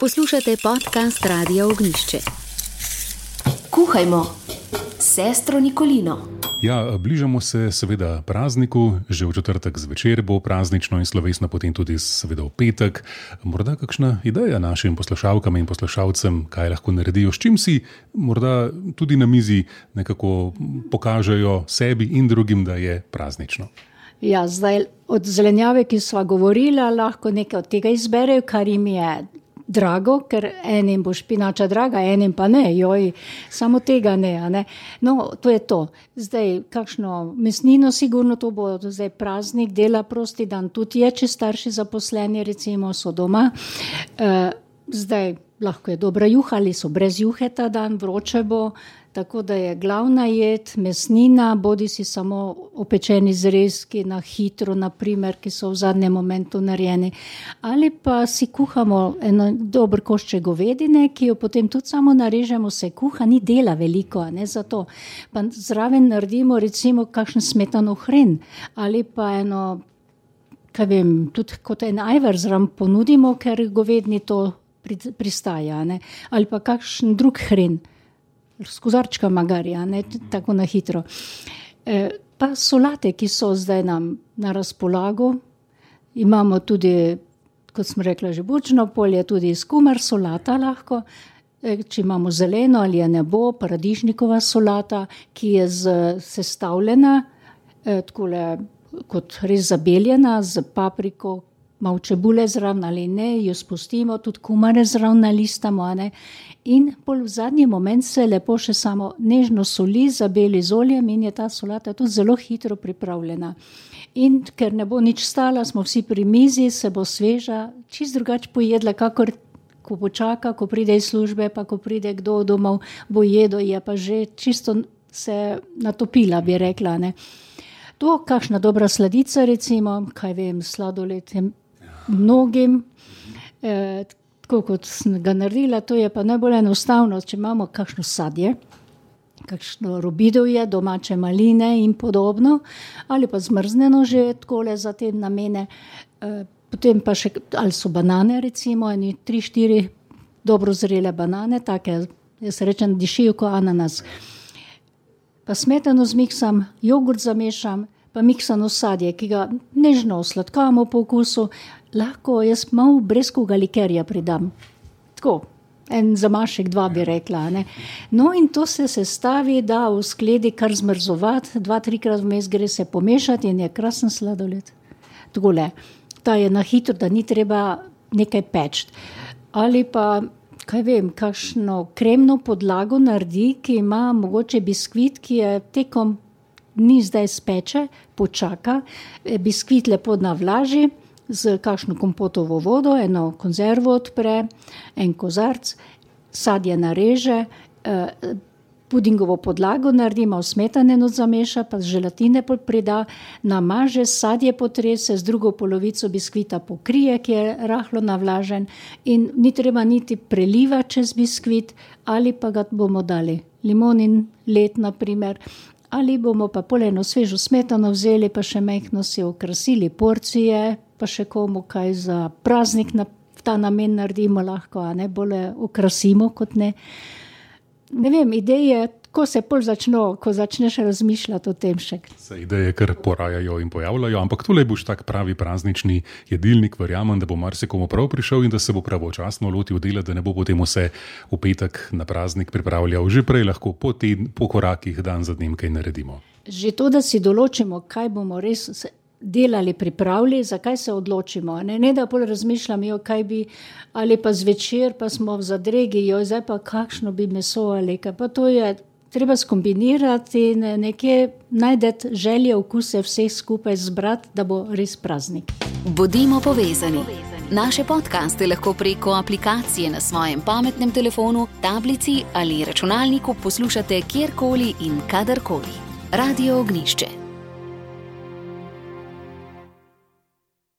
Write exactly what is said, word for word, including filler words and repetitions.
Poslušate podcast Radia Ognjišče. Kuhajmo s sestro Nikolino. Ja, bližamo se seveda prazniku, že v četrtek zvečer bo praznično in slovesno, potem tudi seveda v petek. Morda kakšna ideja našim poslušalkam in poslušalcem, kaj lahko naredijo, s čim si morda tudi na mizi nekako pokažejo sebi in drugim, da je praznično. Ja, zdaj od zelenjave, ki sva govorila, lahko nekaj od tega izberejo, kar jim je drago, ker enim bo špinača draga, enim pa ne, joj, samo tega ne, a ne. No, to je to. Zdaj, kakšno mesnino sigurno, to bo zdaj praznik, dela prosti dan, tudi je, če starši zaposleni, recimo, so doma. E, zdaj, lahko je dobra juha ali so brez juhe ta dan, vroče bo, tako da je glavna jed mesnina, bodi si samo opečeni zrezki na hitro, naprimer, ki so v zadnjem momentu narejeni. Ali pa si kuhamo eno dober košček govedine, ki jo potem tudi samo narežemo, se kuha, ni dela veliko, a ne za to. Pa zraven naredimo recimo kakšen smetanov hren ali pa eno, kaj vem, tudi kot en ajvar zraven ponudimo, ker govedni to pristaja, ne? Ali pa kakšen drug hren. S kozarčka magarja, ne, tako na hitro. E, pa solate, ki so zdaj nam na razpolago, imamo tudi, kot smo rekla, že bučno polje, tudi skumar solata lahko, e, če imamo zeleno ali je nebo, paradižnikova solata, ki je z, sestavljena, e, takole, kot res zabeljena, z papriko, malo čebule zraven ali ne, jo spustimo, tudi kumare zraven nalistamo, ne. In pol v zadnji moment se lepo še samo nežno soli, zabeli z oljem in je ta solata tudi zelo hitro pripravljena. In ker ne bo nič stala, smo vsi pri mizi, se bo sveža, čist drugače pojedla, kakor ko počaka, ko pride iz službe, pa ko pride kdo domov, bo jedo, je pa že čisto se natopila, bi rekla, ne. To, kakšna dobra sladica, recimo, kaj vem, sladoled je mnogim, eh, tako kot sem ga naredila, to je pa najbolj enostavno, če imamo kakšno sadje, kakšno robidovje, domače maline in podobno, ali pa zmrzneno že takole za te namene, e, potem pa še, ali so banane recimo, eni tri, štiri dobro zrele banane, take, jaz rečem, dišijo kot ananas. Pa smetano zmiksam, jogurt zamešam, pa miksano sadje, ki ga nežno osladkamo po okusu, lahko jaz malo breskvega likerja pridam. Tako, en zamašek, dva bi rekla, ne. No in to se sestavi, da v skledi kar zmrzovati, dva, trikrat vmes gre se pomešati in je krasen sladoled. Takole, ta je na hitro, da ni treba nekaj peči. Ali pa, kaj vem, kakšno kremno podlago naredi, ki ima mogoče biskvit, ki je tekom ni zdaj speče, počaka, biskvit lepo navlaži, z kakšno kompotovo vodo, eno konzervo odpre, en kozarc, sadje nareže, eh, pudingovo podlago naredi, malo smetane not zameša, pa želatine prida, namaže, sadje potrese, z drugo polovico biskvita pokrije, ki je rahlo navlažen in ni treba niti preliva čez biskvit, ali pa ga bomo dali limonin led, naprimer, ali bomo pa pol eno svežo smetano vzeli, pa še majhno si okrasili porcije, pa še komu kaj za praznik na ta namen naredimo lahko, a ne, bolje okrasimo kot ne. Ne vem, ideje, ko se pol začno, ko začneš razmišljati o tem še. Se ideje kar porajajo in pojavljajo, ampak tule boš tak pravi praznični jedilnik, verjamem, da bo marsikomu prav prišel in da se bo pravočasno lotil dela, da ne bo potem vse v petek na praznik pripravljal. Že prej lahko po, teden, po korakih dan za dnem kaj naredimo. Že to, da si določimo, kaj bomo res delali, pripravili, zakaj se odločimo. Ne, ne da pol razmišljam, jo, kaj bi, ali pa zvečer, pa smo v zadregi, jo, zdaj pa kakšno bi meso ali kaj. Pa to je treba skombinirati in nekje najdeti želje, okuse vseh skupaj zbrati, da bo res praznik. Bodimo povezani. Naše podcaste lahko preko aplikacije na svojem pametnem telefonu, tablici ali računalniku poslušate kjerkoli in kadarkoli. Radio Ognjišče.